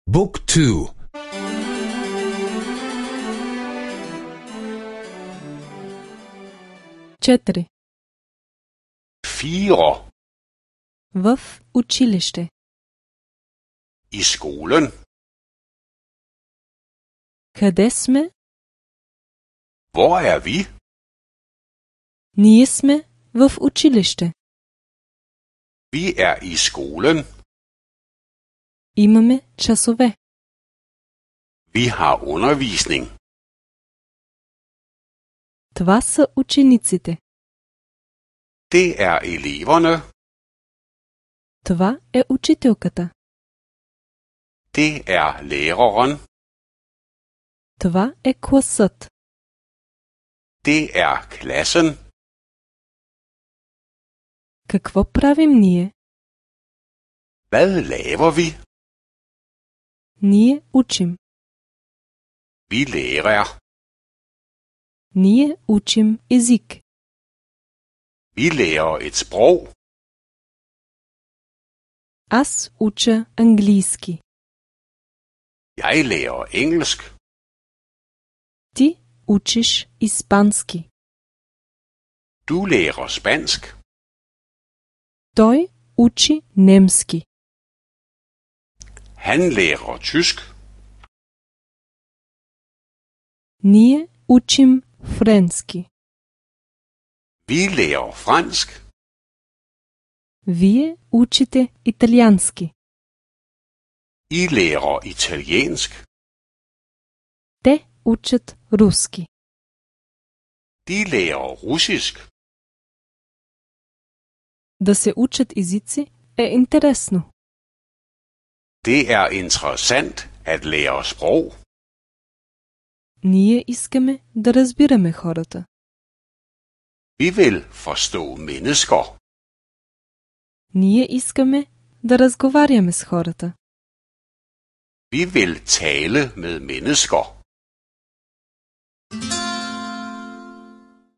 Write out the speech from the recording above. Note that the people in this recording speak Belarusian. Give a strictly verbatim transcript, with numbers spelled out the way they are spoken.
Book two. Четири. Fire. В училище. I skolen. Къде сме? Hvor er vi? Ние сме в училище. Vi er i skolen. Имаме часове. Vi har undervisning. Това са учениците. Det er eleverne. Това е учителката. Det er læreren. Това е класът. Det er klassen. Какво правим ние? Hvad laver vi? Ние учим. Vi lærer. Ние учим език. Vi lærer et sprog. Аз уча английски. Jeg lærer engelsk. Ти учиш испански. Du lærer spansk. Той учи немски. Han lærer tysk. Ние учим френски. Vi lærer fransk. Вие учите италиански. I lærer italiensk. Те учат руски. De lærer russisk. Да се учат езици е интересно. Det er interessant at lære sprog. Ние искаме да разбираме хората. Vi vil forstå mennesker. Ние искаме да разговаряме с хората. Vi vil tale med mennesker.